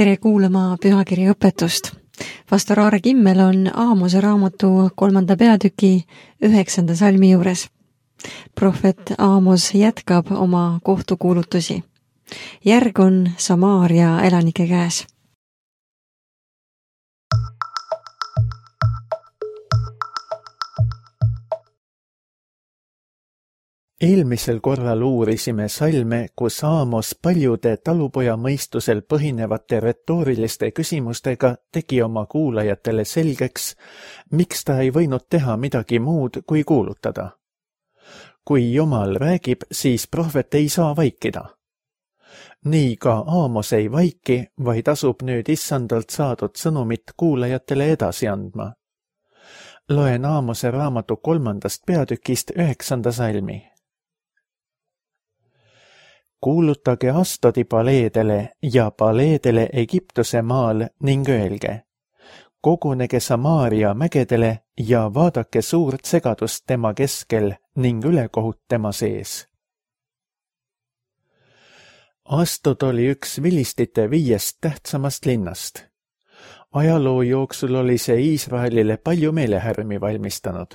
tere kuulama pühakirja õpetust. Pastor Aare Kimmel on Aamose raamatu 3. peatüki 9. salmi juures. Prohvet Aamos jätkab oma kohtukuulutusi. Järg on Samaaria elanike käes. Eelmisel korral uurisime salme, kus Aamos paljude talupoja mõistusel põhinevate retooriliste küsimustega tegi oma kuulajatele selgeks, miks ta ei võinud teha midagi muud kui kuulutada. Kui Jumal räägib, siis prohvet ei saa vaikida. Nii ka Aamos ei vaiki, vaid asub nüüd issandalt saadud sõnumit kuulajatele edasi andma. Loen Aamose raamatu 3. peatükist 9. salmi. Kuulutage Astodi paleedele ja paleedele Egiptuse maal ning öelge. Kogunege Samaaria mägedele ja vaadake suurt segadust tema keskel ning ülekohut tema sees. Astod oli üks vilistite 5 tähtsamast linnast. Ajaloo jooksul oli see Iisraelile palju meelehärmi valmistanud.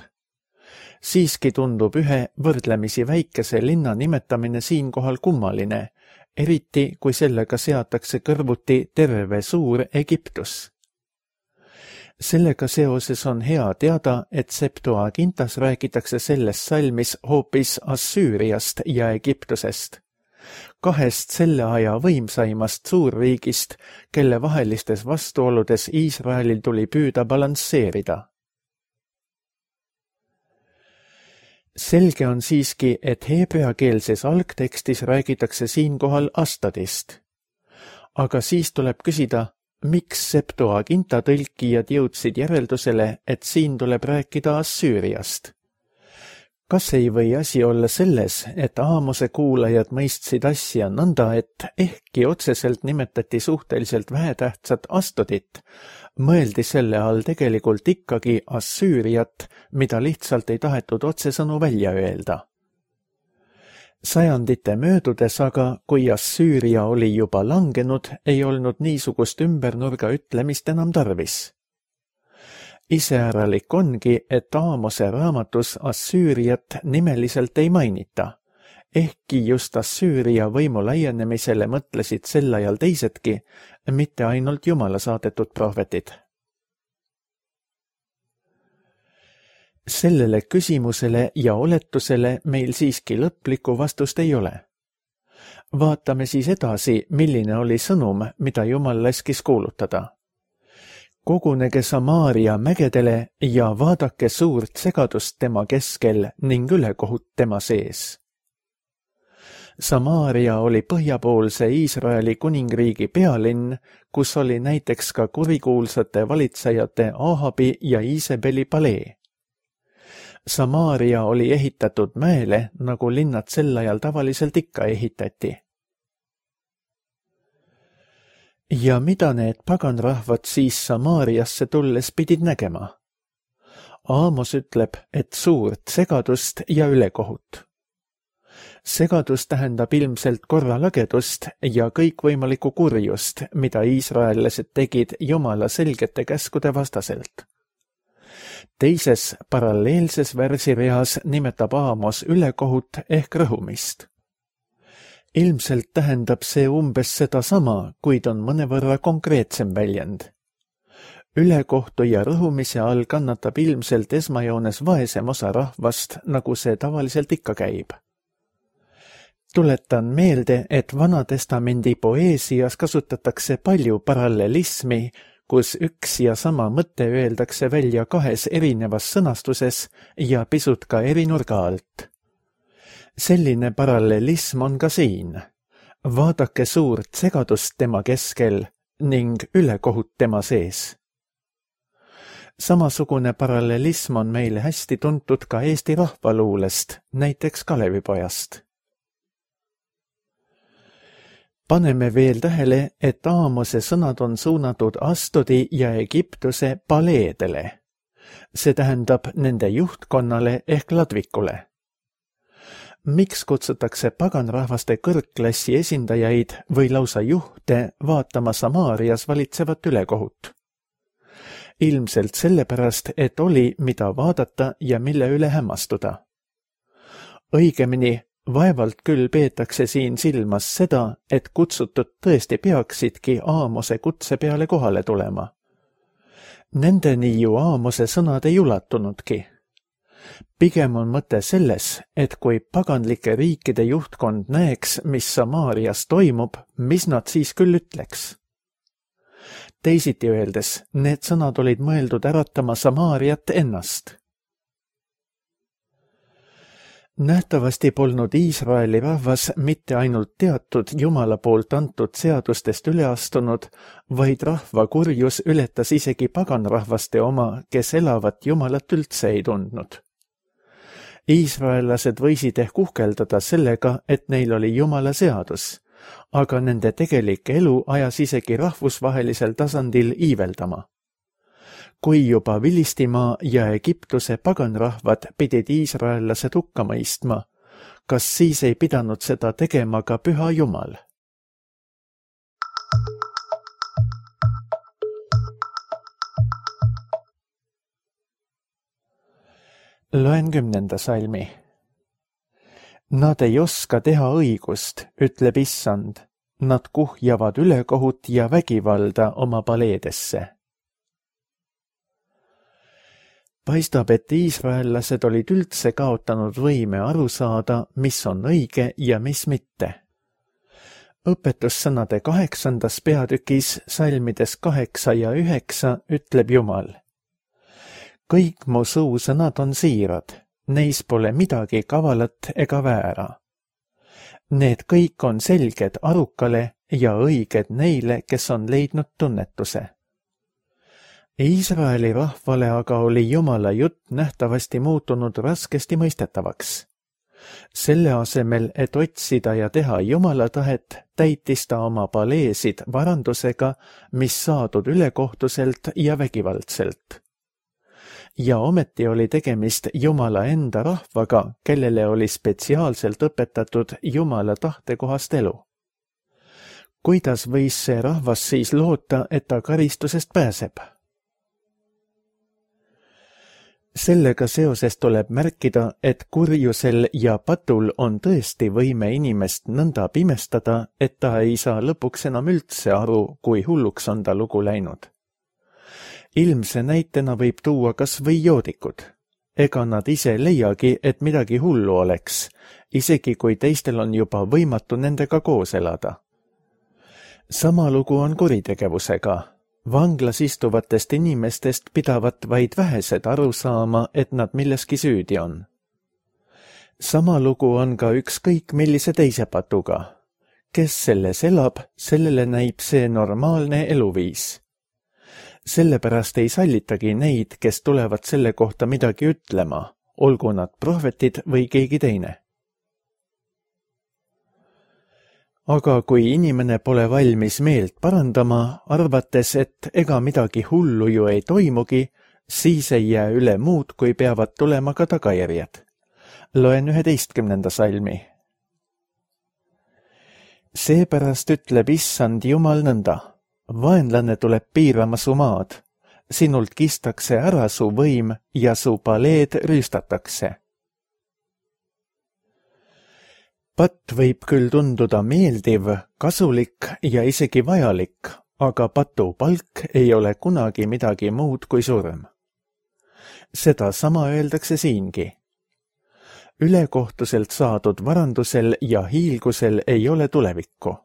Siiski tundub ühe võrdlemisi väikese linna nimetamine siinkohal kummaline, eriti kui sellega seatakse kõrvuti terve suur Egiptus. Sellega seoses on hea teada, et Septuagintas räägitakse selles salmis hoopis Assüüriast ja Egiptusest, 2 selle aja võimsaimast suurriigist, kelle vahelistes vastuoludes Iisraelil tuli püüda balansseerida. Selge on siiski, et heebreakeelses algtekstis räägitakse siinkohal Astodist. Aga siis tuleb küsida, miks Septuaginta tõlkijad jõudsid järeldusele, et siin tuleb rääkida Assüüriast. Kas ei või asi olla selles, et Aamose kuulajad mõistsid asja nõnda, et ehkki otseselt nimetati suhteliselt vähetähtsat Astodit, mõeldi selle all tegelikult ikkagi Assüüriat, mida lihtsalt ei tahetud otsesõnu välja öelda. Sajandite möödudes aga, kui Assüüria oli juba langenud, ei olnud niisugust ümbernurga ütlemist enam tarvis. Iseäralik ongi, et Aamose raamatus Assüüriat nimeliselt ei mainita, ehkki just Assüüria võimu laienemisele mõtlesid sel ajal teisedki, mitte ainult Jumala saadetud prohvetid. Sellele küsimusele ja oletusele meil siiski lõplikku vastust ei ole. Vaatame siis edasi, milline oli sõnum, mida Jumal laskis kuulutada. Kogunege Samaaria mägedele ja vaadake suurt segadust tema keskel ning ülekohut tema sees. Samaaria oli põhjapoolse Iisraeli kuningriigi pealinn, kus oli näiteks ka kurikuulsate valitsejate Ahabi ja Iisebeli palee. Samaaria oli ehitatud mäele, nagu linnad sel ajal tavaliselt ikka ehitati. Ja mida need paganrahvad siis Samaariasse tulles pidid nägema? Aamos ütleb, et suurt segadust ja ülekohut. Segadus tähendab ilmselt korralagedust ja kõikvõimalikku kurjust, mida iisraellased tegid Jumala selgete käskude vastaselt. Teises paralleelses versireas nimetab Aamos ülekohut ehk rõhumist. Ilmselt tähendab see umbes sedasama, kuid on mõnevõrra konkreetsem väljend. Ülekohtu ja rõhumise all kannatab ilmselt esmajoones vaesem osa rahvast, nagu see tavaliselt ikka käib. Tuletan meelde, et Vanatestamendi poeesias kasutatakse palju parallelismi, kus üks ja sama mõte öeldakse välja 2 erinevas sõnastuses ja pisut ka eri nurga alt. Selline parallelism on ka siin. Vaadake suurt segadust tema keskel ning ülekohut tema sees. Samasugune parallelism on meile hästi tuntud ka Eesti rahvaluulest, näiteks Kalevipojast. Paneme veel tähele, et Aamose sõnad on suunatud Astodi ja Egiptuse paleedele. See tähendab nende juhtkonnale ehk ladvikule. miks kutsutakse paganrahvaste kõrgklassi esindajaid või lausa juhte vaatama Samaarias valitsevat ülekohut? Ilmselt sellepärast, et oli, mida vaadata ja mille üle hämmastuda. Õigemini, vaevalt küll peetakse siin silmas seda, et kutsutud tõesti peaksidki Aamose kutse peale kohale tulema. Nendeni ju Aamose sõnad ei ulatunudki. Pigem on mõte selles, et kui paganlike riikide juhtkond näeks, mis Samaarias toimub, mis nad siis küll ütleks. Teisiti öeldes, need sõnad olid mõeldud äratama Samaariat ennast. Nähtavasti polnud Iisraeli rahvas mitte ainult teatud Jumala poolt antud seadustest üle astunud, vaid rahva kurjus ületas isegi paganrahvaste oma, kes elavat Jumalat üldse ei tundnud. Iisraellased võisid ehk uhkeldada sellega, et neil oli Jumala seadus, aga nende tegelik elu ajas isegi rahvusvahelisel tasandil iiveldama. Kui juba Filistimaa ja Egiptuse paganrahvad pidid iisraellased hukka mõistma, kas siis ei pidanud seda tegema ka Püha Jumal? Loen 10. salmi. Nad ei oska teha õigust, ütleb Issand. Nad kuhjavad ülekohut ja vägivalda oma paleedesse. Paistab, et iisraellased olid üldse kaotanud võime aru saada, mis on õige ja mis mitte. Õpetussõnade 8. peatükis salmides 8 ja 9 ütleb Jumal. Kõik mu suusõnad on siirad, neis pole midagi kavalat ega väära. Need kõik on selged arukale ja õiged neile, kes on leidnud tunnetuse. Iisraeli rahvale aga oli Jumala jutt nähtavasti muutunud raskesti mõistetavaks. Selle asemel, et otsida ja teha Jumala tahet, täitis ta oma paleesid varandusega, mis saadud ülekohtuselt ja vägivaldselt. Ja ometi oli tegemist Jumala enda rahvaga, kellele oli spetsiaalselt õpetatud Jumala tahtekohast elu. Kuidas võis see rahvas siis loota, et ta karistusest pääseb? Sellega seoses tuleb märkida, et kurjusel ja patul on tõesti võime inimest nõnda pimestada, et ta ei saa lõpuks enam üldse aru, kui hulluks on ta lugu läinud. Ilmse näitena võib tuua kas või joodikud. Ega nad ise leiagi, et midagi hullu oleks, isegi kui teistel on juba võimatu nendega koos elada. Sama lugu on kuritegevusega. Vanglas istuvatest inimestest pidavat vaid vähesed aru saama, et nad milleski süüdi on. Sama lugu on ka ükskõik millise teise patuga. Kes selles elab, sellele näib see normaalne eluviis. Sellepärast ei sallitagi neid, kes tulevad selle kohta midagi ütlema, olgu nad prohvetid või keegi teine. Aga kui inimene pole valmis meelt parandama, arvates, et ega midagi hullu ju ei toimugi, siis ei jää üle muud, kui peavad tulema ka tagajärjed. Loen 11. salmi. Seepärast ütleb Issand Jumal nõnda. Vaenlane tuleb piirama su maad. Sinult kistakse ära su võim ja su paleed rüüstatakse. Patt võib küll tunduda meeldiv, kasulik ja isegi vajalik, aga patu palk ei ole kunagi midagi muud kui surm. Seda sama öeldakse siingi. Ülekohtuselt saadud varandusel ja hiilgusel ei ole tulevikku.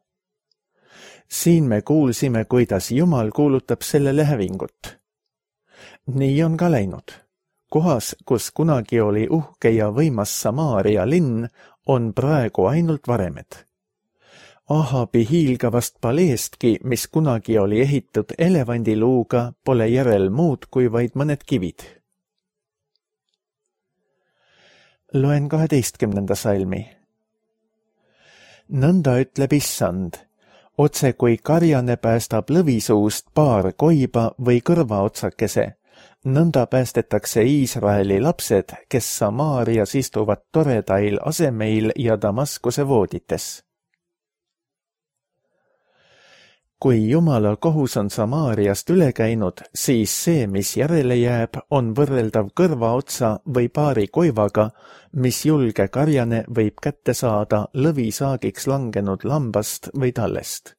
Siin me kuulsime, kuidas Jumal kuulutab sellele hävingut. Nii on ka läinud. Kohas, kus kunagi oli uhke ja võimas Samaaria linn, on praegu ainult varemed. Ahabi hiilgavast paleestki, mis kunagi oli ehitud elevandiluuga, pole järel muud kui vaid mõned kivid. Loen 12. salmi. Nõnda ütleb Issand, otse kui karjane päästab lõvisuust paar koiba või kõrvaotsakese, nõnda päästetakse Iisraeli lapsed, kes Samaarias istuvad toredail asemeil ja Damaskuse voodites. Kui Jumala kohus on Samaariast üle käinud, siis see, mis järele jääb, on võrreldav kõrvaotsa või paari koivaga, mis julge karjane võib kätte saada lõvisaagiks langenud lambast või tallest.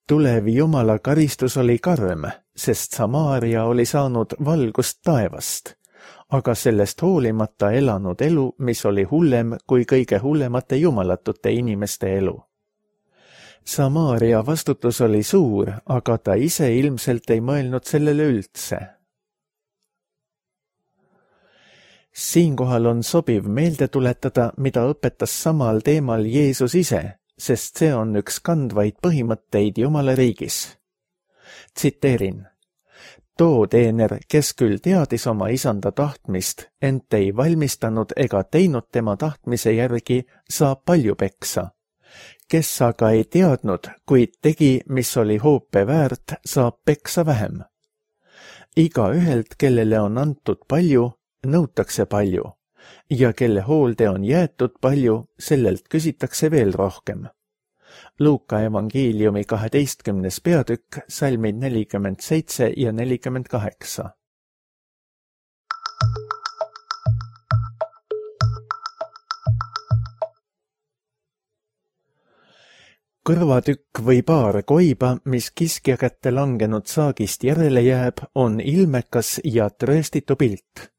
Tulev Jumala karistus oli karm, sest Samaaria oli saanud valgust taevast, aga sellest hoolimata elanud elu, mis oli hullem kui kõige hullemate jumalatute inimeste elu. Samaaria vastutus oli suur, aga ta ise ilmselt ei mõelnud sellele üldse. Siinkohal on sobiv meelde tuletada, mida õpetas samal teemal Jeesus ise, sest see on üks kandvaid põhimõtteid Jumala riigis. Tsiteerin: too teener, kes küll teadis oma isanda tahtmist, ent ei valmistanud ega teinud tema tahtmise järgi, saab palju peksa. Kes aga ei teadnud, kuid tegi, mis oli hoope väärt, saab peksa vähem. Igaühelt, kellele on antud palju, nõutakse palju, ja kelle hoolde on jäetud palju, sellelt küsitakse veel rohkem. Luuka evangeeliumi 12. peatükk, salmid 47 ja 48. Kõrvatükk või paar koiba, mis kiskja kätte langenud saagist järele jääb, on ilmekas ja trööstitu pilt.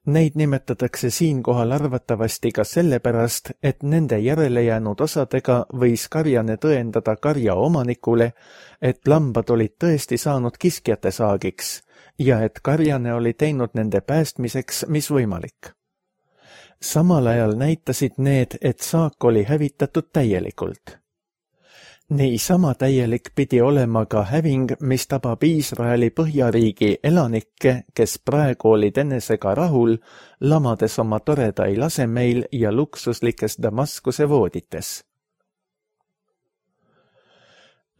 Neid nimetatakse siinkohal arvatavasti ka sellepärast, et nende järele jäänud osadega võis karjane tõendada karja omanikule, et lambad olid tõesti saanud kiskjate saagiks ja et karjane oli teinud nende päästmiseks, mis võimalik. Samal ajal näitasid need, et saak oli hävitatud täielikult. Niisama täielik pidi olema ka häving, mis tabab Iisraeli põhjariigi elanikke, kes praegu olid enesega rahul, lamades oma toredail asemeil ja luksuslikes Damaskuse voodites.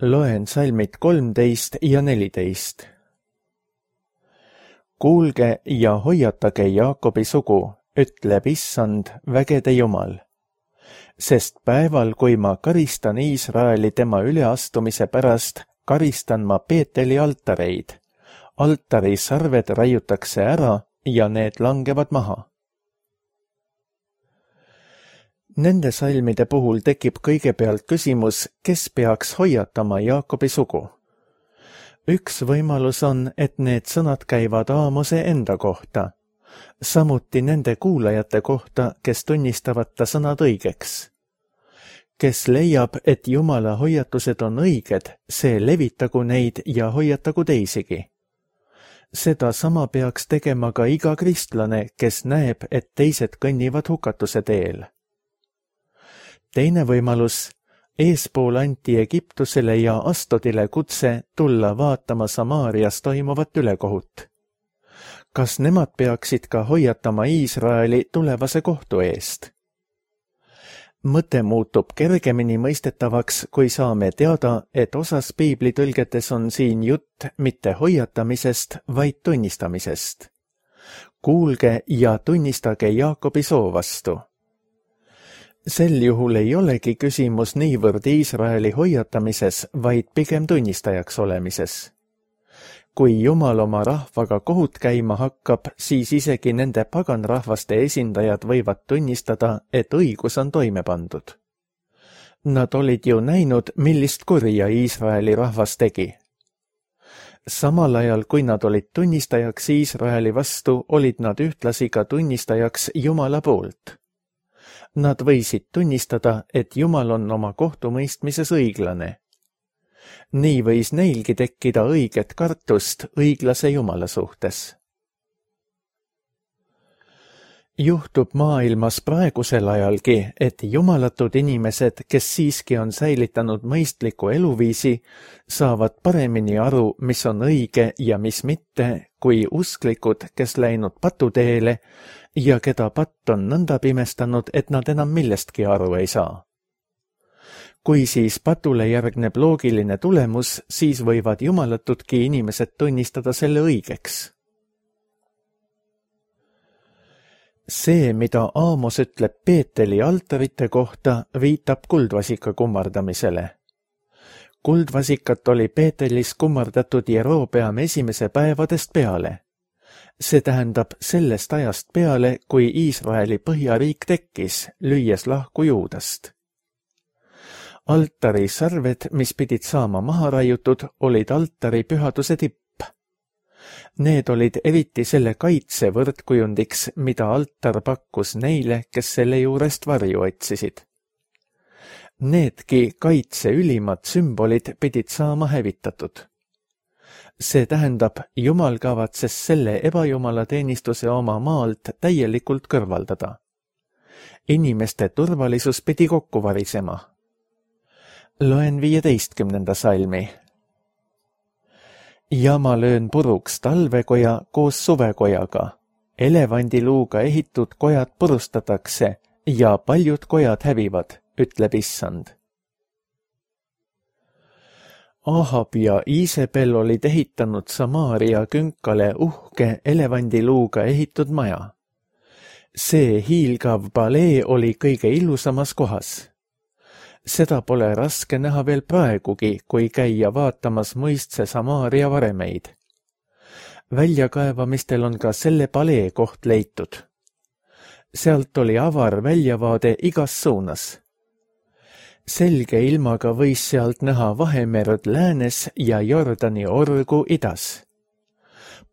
Loen salmid 13 ja 14. Kuulge ja hoiatage Jaakobi sugu, ütleb Issand, vägede Jumal. Sest päeval, kui ma karistan Iisraeli tema üleastumise pärast, karistan ma Peeteli altareid. Altari sarved raiutakse ära ja need langevad maha. Nende salmide puhul tekib kõigepealt küsimus, kes peaks hoiatama Jaakobi sugu. Üks võimalus on, et need sõnad käivad Aamose enda kohta, samuti nende kuulajate kohta, kes tunnistavad ta sõnad õigeks. Kes leiab, et Jumala hoiatused on õiged, see levitagu neid ja hoiatagu teisigi. Seda sama peaks tegema ka iga kristlane, kes näeb, et teised kõnnivad hukatuse teel. Teine võimalus, eespool anti Egiptusele ja Astodile kutse tulla vaatama Samaarias toimuvat ülekohut. Kas nemad peaksid ka hoiatama Iisraeli tulevase kohtu eest? Mõte muutub kergemini mõistetavaks, kui saame teada, et osas piiblitõlgetes on siin jutt mitte hoiatamisest, vaid tunnistamisest. Kuulge ja tunnistage Jaakobi soo vastu. Sel juhul ei olegi küsimus niivõrd Iisraeli hoiatamises, vaid pigem tunnistajaks olemises. Kui Jumal oma rahvaga kohut käima hakkab, siis isegi nende paganrahvaste esindajad võivad tunnistada, et õigus on toime pandud. Nad olid ju näinud, millist kurja Iisraeli rahvas tegi. Samal ajal, kui nad olid tunnistajaks Iisraeli vastu, olid nad ühtlasi ka tunnistajaks Jumala poolt. Nad võisid tunnistada, et Jumal on oma kohtumõistmises õiglane. Nii võis neilgi tekkida õiget kartust õiglase Jumala suhtes. Juhtub maailmas praegusel ajalgi, et jumalatud inimesed, kes siiski on säilitanud mõistliku eluviisi, saavad paremini aru, mis on õige ja mis mitte, kui usklikud, kes läinud patuteele ja keda patt on nõnda pimestanud, et nad enam millestki aru ei saa. Kui siis patule järgneb loogiline tulemus, siis võivad jumalatudki inimesed tunnistada selle õigeks. See, mida Aamos ütleb Peeteli altarite kohta, viitab kuldvasika kummardamisele. Kuldvasikat oli Peetelis kummardatud Jerobeam esimese päevadest peale. See tähendab sellest ajast peale, kui Iisraeli põhjariik tekkis, lüües lahku Juudast. Altari sarved, mis pidid saama maha raiutud, olid altari pühaduse tipp. Need olid eriti selle kaitse võrdkujundiks, mida altar pakkus neile, kes selle juurest varju otsisid. Needki kaitse ülimad sümbolid pidid saama hävitatud. See tähendab, Jumal kavatses selle ebajumala teenistuse oma maalt täielikult kõrvaldada. Inimeste turvalisus pidi kokku varisema. Loen 15. salmi. Ja ma löön puruks talvekoja koos suvekojaga. Elevandiluuga ehitud kojad purustatakse ja paljud kojad hävivad, ütleb Issand. Ahab ja Iisebel olid ehitanud Samaaria künkale uhke elevandiluuga ehitud maja. See hiilgav palee oli kõige ilusamas kohas. Seda pole raske näha veel praegugi, kui käia vaatamas muistse Samaaria varemeid. Väljakaevamistel on ka selle palee koht leitud. Sealt oli avar väljavaade igas suunas. Selge ilmaga võis sealt näha Vahemerd läänes ja Jordani orgu idas.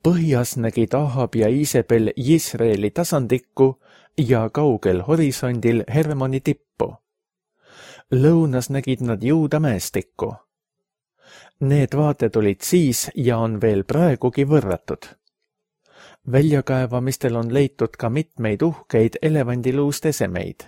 Põhjas nägid Ahab ja Iisebel Jisraeli tasandikku ja kaugel horisondil Hermoni tippu. Lõunas nägid nad Juuda mäestikku. Need vaated olid siis ja on veel praegugi võrratud. Väljakaevamistel on leitud ka mitmeid uhkeid elevandiluust esemeid.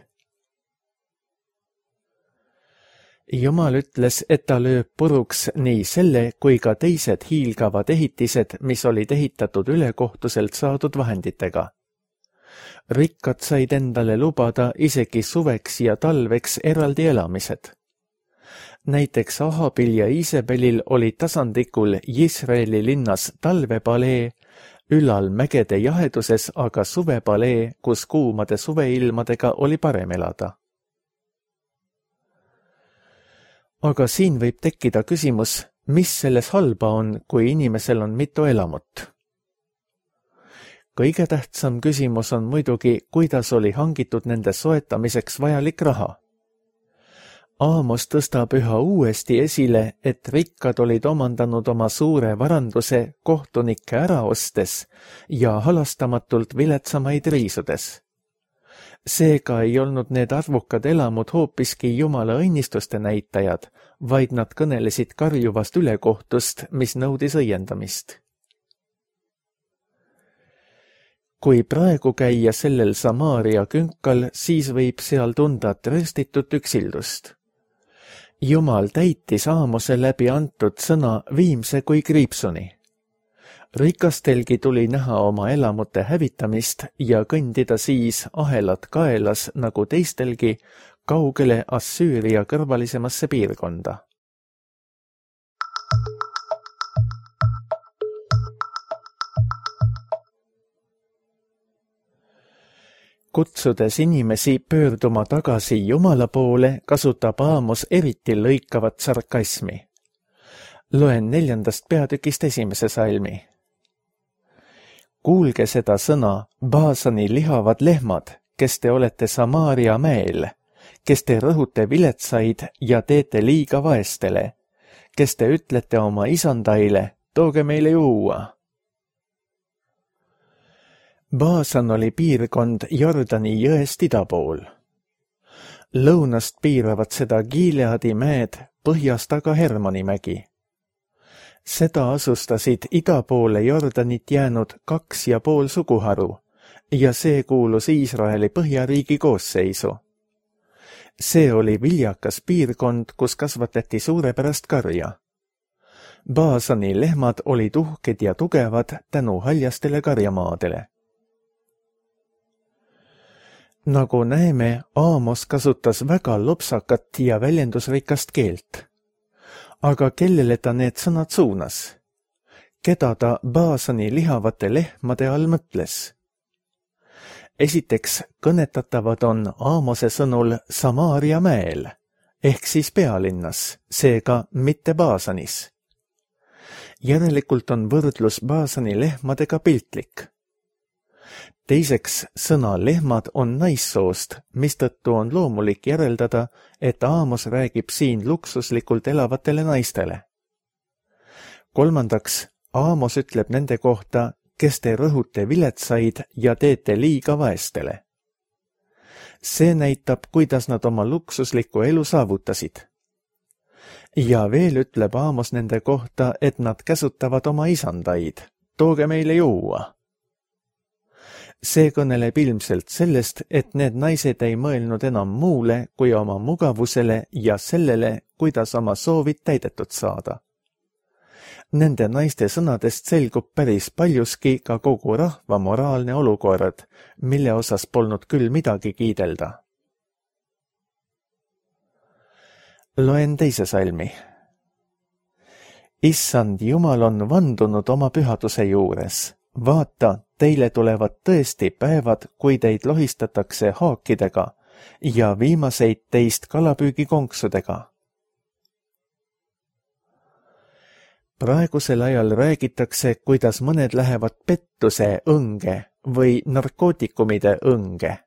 Jumal ütles, et ta lööb puruks nii selle kui ka teised hiilgavad ehitised, mis olid ehitatud ülekohtuselt saadud vahenditega. Rikkad said endale lubada isegi suveks ja talveks eraldi elamised. Näiteks Ahabil ja Iisebelil oli tasandikul Jisraeli linnas talvepalee, ülal mägede jaheduses aga suvepalee, kus kuumade suveilmadega oli parem elada. Aga siin võib tekkida küsimus, mis selles halba on, kui inimesel on mitu elamut. Kõige tähtsam küsimus on muidugi, kuidas oli hangitud nende soetamiseks vajalik raha. Aamos tõstab üha uuesti esile, et rikkad olid omandanud oma suure varanduse kohtunikke ära ostes ja halastamatult viletsamaid riisudes. Seega ei olnud need arvukad elamud hoopiski Jumala õnnistuste näitajad, vaid nad kõnelesid karjuvast ülekohtust, mis nõudis õiendamist. Kui praegu käia sellel Samaaria künkal, siis võib seal tunda trööstitut üksildust. Jumal täitis Aamose läbi antud sõna viimse kui kriipsuni. Rikastelgi tuli näha oma elamute hävitamist ja kõndida siis ahelad kaelas nagu teistelgi kaugele Assüüria kõrvalisemasse piirkonda. Kutsudes inimesi pöörduma tagasi Jumala poole, kasutab Aamos eriti lõikavat sarkasmi. Loen 4. peatükist 1. salmi. Kuulge seda sõna, Baasani lihavad lehmad, kes te olete Samaaria mäel, kes te rõhute viletsaid ja teete liiga vaestele, kes te ütlete oma isandaile, tooge meile juua. Baasan oli piirkond Jordani jõest ida pool. Lõunast piiravad seda Gileadi mäed, põhjast aga Hermoni mägi. Seda asustasid ida poole Jordanit jäänud 2,5 suguharu ja see kuulus Iisraeli põhjariigi koosseisu. See oli viljakas piirkond, kus kasvatati suurepärast karja. Baasani lehmad olid uhked ja tugevad tänu haljastele karjamaadele. Nagu näeme, Aamos kasutas väga lopsakat ja väljendusrikast keelt. Aga kellele ta need sõnad suunas? Keda ta Baasani lihavate lehmade all mõtles? Esiteks kõnetatavad on Aamose sõnul Samaaria mäel, ehk siis pealinnas, seega mitte Baasanis. Järelikult on võrdlus Baasani lehmadega piltlik. Teiseks, sõna lehmad on naissoost, mistõttu on loomulik järeldada, et Aamos räägib siin luksuslikult elavatele naistele. Kolmandaks, Aamos ütleb nende kohta, kes te rõhute viletsaid ja teete liiga vaestele. See näitab, kuidas nad oma luksuslikku elu saavutasid. Ja veel ütleb Aamos nende kohta, et nad käsutavad oma isandaid. Tooge meile juua. See kõneleb ilmselt sellest, et need naised ei mõelnud enam muule kui oma mugavusele ja sellele, kuidas oma soovid täidetud saada. Nende naiste sõnadest selgub päris paljuski ka kogu rahva moraalne olukord, mille osas polnud küll midagi kiidelda. Loen teise salmi. Issand Jumal on vandunud oma pühaduse juures. Vaata, teile tulevad tõesti päevad, kui teid lohistatakse haakidega ja viimaseid teist kalapüügikonksudega. Praegusel ajal räägitakse, kuidas mõned lähevad pettuse õnge või narkootikumide õnge.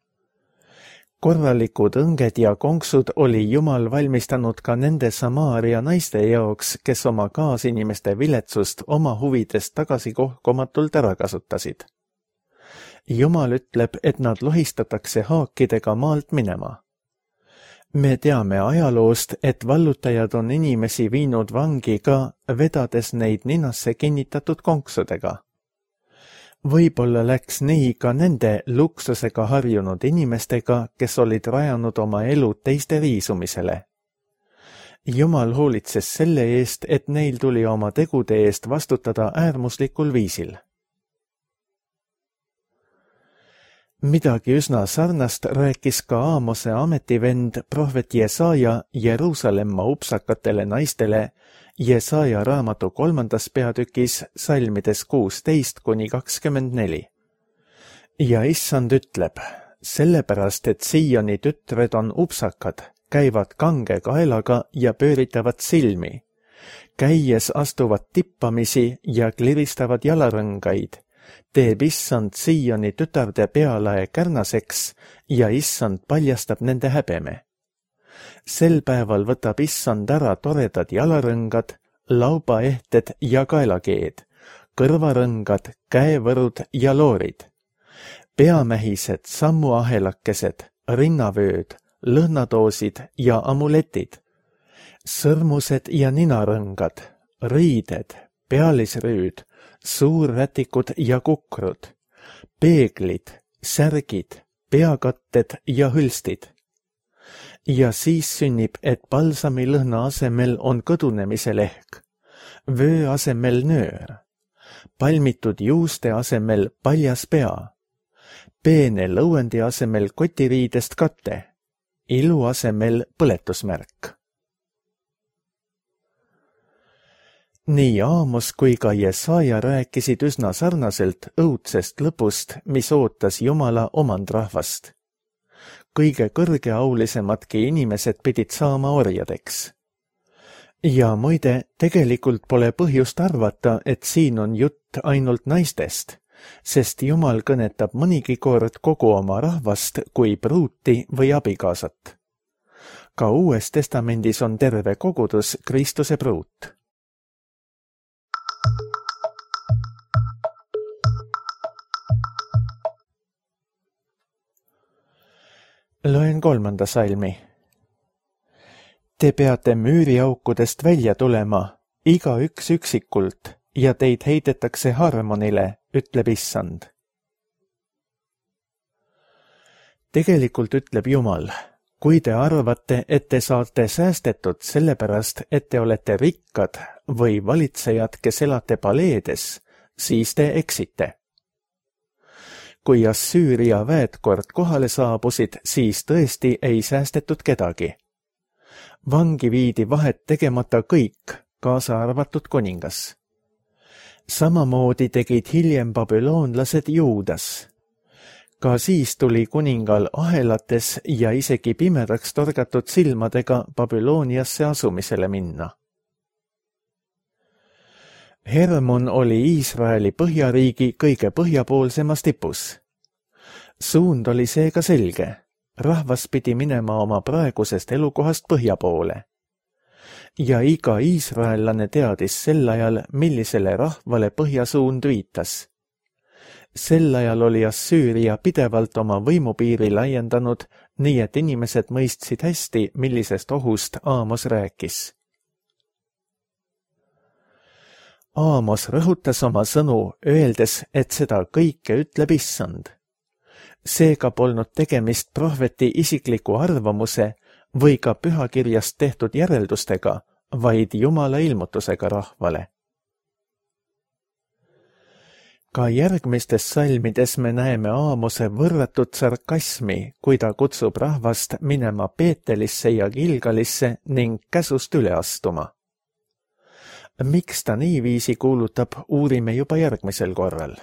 Korralikud õnged ja konksud oli Jumal valmistanud ka nende Samaaria naiste jaoks, kes oma kaasinimeste viletsust oma huvidest tagasikohkomatult ära kasutasid. Jumal ütleb, et nad lohistatakse haakidega maalt minema. Me teame ajaloost, et vallutajad on inimesi viinud vangi ka, vedades neid ninasse kinnitatud konksudega. Võib-olla läks nii ka nende luksusega harjunud inimestega, kes olid rajanud oma elu teiste riisumisele. Jumal hoolitses selle eest, et neil tuli oma tegude eest vastutada äärmuslikul viisil. Midagi üsna sarnast rääkis ka Aamose ametivend prohvet Jesaja Jeruusalemma upsakatele naistele Jesaja raamatu 3. peatükis salmides 16–24. Ja issand ütleb, sellepärast, et Sioni tütred on upsakad, käivad kange kaelaga ja pööritavad silmi, käies astuvad tippamisi ja kliristavad jalarõngaid, teeb issand Sioni tütarde pealae kärnaseks ja issand paljastab nende häbeme. Sel päeval võtab issand ära toredad jalarõngad, laubaehted ja kaelakeed, kõrvarõngad, käevõrud ja loorid, peamähised, sammuahelakesed, rinnavööd, lõhnadoosid ja amuletid, sõrmused ja ninarõngad, riided, pealisrüüd, suurrätikud ja kukrud, peeglid, särgid, peakatted ja hülstid. Ja siis sünnib, et balsami lõhna asemel on kõdunemise lehk, vöö asemel nöör, palmitud juuste asemel paljas pea, peene lõuendi asemel kotiriidest kate, ilu asemel põletusmärk. Nii Aamos kui ka Jesaja rääkisid üsna sarnaselt õudsest lõpust, mis ootas Jumala omandrahvast. Kõige kõrgeaulisemadki inimesed pidid saama orjadeks. Ja muide, tegelikult pole põhjust arvata, et siin on jutt ainult naistest, sest Jumal kõnetab mõnigi kord kogu oma rahvast kui pruuti või abikaasat. Ka Uues Testamendis on terve kogudus Kristuse pruut. Loen 3. salmi. Te peate müüriaukudest välja tulema, igaüks üksikult, ja teid heidetakse Harmonile, ütleb issand. Tegelikult ütleb Jumal, kui te arvate, et te saate säästetud sellepärast, et te olete rikkad või valitsejad, kes elate paleedes, siis te eksite. kui Assüüria väed kord kohale saabusid, siis tõesti ei säästetud kedagi. Vangi viidi vahet tegemata kõik, kaasa arvatud kuningas. Samamoodi tegid hiljem babüloonlased Juudas. Ka siis tuli kuningal ahelates ja isegi pimedaks torgatud silmadega Babülooniasse asumisele minna. Hermon oli Iisraeli põhjariigi kõige põhjapoolsemas tipus. Suund oli seega selge. Rahvas pidi minema oma praegusest elukohast põhja poole. Ja iga iisraellane teadis sel ajal, millisele rahvale põhjasuund viitas. Sel ajal oli Assüüria pidevalt oma võimupiiri laiendanud, nii et inimesed mõistsid hästi, millisest ohust Aamos rääkis. Aamos rõhutas oma sõnu, öeldes, et seda kõike ütleb Issand. Seega polnud tegemist prohveti isikliku arvamuse või ka pühakirjast tehtud järeldustega, vaid Jumala ilmutusega rahvale. Ka järgmistes salmides me näeme Aamose võrratut sarkasmi, kui ta kutsub rahvast minema Peetelisse ja Gilgalisse ning käsust üle astuma. Miks ta niiviisi kuulutab, uurime juba järgmisel korral.